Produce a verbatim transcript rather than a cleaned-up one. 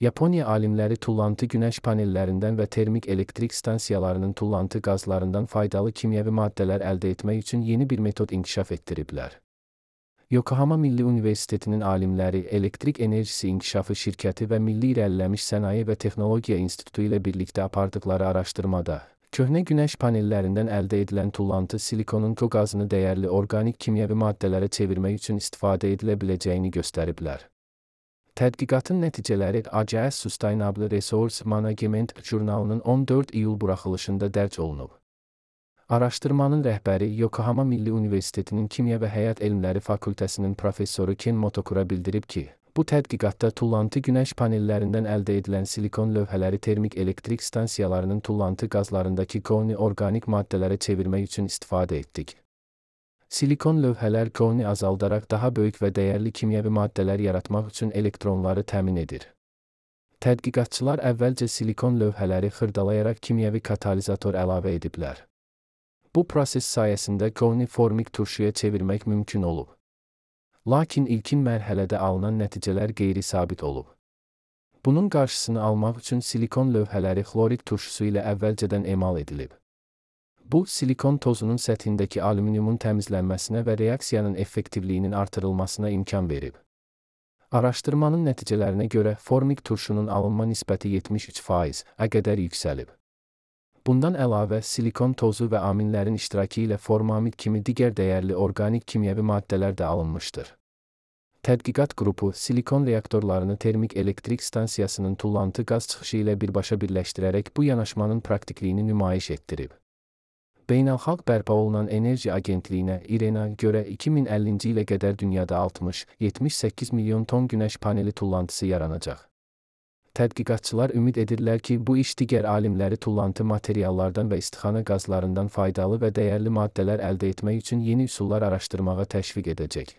Yaponiya alimləri tullantı günəş panellərindən və termik elektrik stansiyalarının tullantı qazlarından faydalı kimyəvi maddələr əldə etmək üçün yeni bir metod inkişaf etdiriblər. Yokohama Milli Universitetinin alimləri Elektrik Enerjisi İnkişafı Şirkəti və Milli İrəliləmiş Sənaye və Texnologiya İnstitutu ilə birlikdə apardıqları araşdırmada, köhnə günəş panellərindən əldə edilən tullantı silikonun qazını dəyərli orqanik kimyəvi maddələrə çevirmək üçün istifadə edilə biləcəyini göstəriblər. Tədqiqatın nəticələri A G S Sustainable Resource Management jurnalının on dörd iyul buraxılışında dərc olunub. Araşdırmanın rəhbəri Yokohama Milli Universitetinin Kimya və Həyat Elmləri Fakültəsinin professoru Ken Motokura bildirib ki, bu tədqiqatda tullantı günəş panellərindən əldə edilən silikon lövhələri termik elektrik stansiyalarının tullantı qazlarındakı qoni orqanik maddələrə çevirmək üçün istifadə etdik. Silikon lövhələr qoni azaldaraq daha böyük və dəyərli kimyəvi maddələr yaratmaq üçün elektronları təmin edir. Tədqiqatçılar əvvəlcə silikon lövhələri xırdalayaraq kimyəvi katalizator əlavə ediblər. Bu proses sayəsində qoni formik turşuya çevirmək mümkün olub. Lakin ilkin mərhələdə alınan nəticələr qeyri-sabit olub. Bunun qarşısını almaq üçün silikon lövhələri xlorid turşusu ilə əvvəlcədən emal edilib. Bu, silikon tozunun səthindəki alüminiumun təmizlənməsinə və reaksiyanın effektivliyinin artırılmasına imkan verib. Araşdırmanın nəticələrinə görə formik turşunun alınma nisbəti yetmiş üç faiz-ə qədər yüksəlib. Bundan əlavə, silikon tozu və aminlərin iştirakı ilə formamid kimi digər dəyərli orqanik kimyəvi maddələr də alınmışdır. Tədqiqat qrupu silikon reaktorlarını termik elektrik stansiyasının tullantı qaz çıxışı ilə birbaşa birləşdirərək bu yanaşmanın praktikliyini nümayiş etdirib. Beynəlxalq bərpa olunan enerji agentliyinə İ R E N-a görə iki min əllinci ilə qədər dünyada altmış yetmiş səkkiz milyon ton günəş paneli tullantısı yaranacaq. Tədqiqatçılar ümid edirlər ki, bu iş digər alimləri tullantı materiallardan və istixana qazlarından faydalı və dəyərli maddələr əldə etmək üçün yeni üsullar araşdırmağa təşviq edəcək.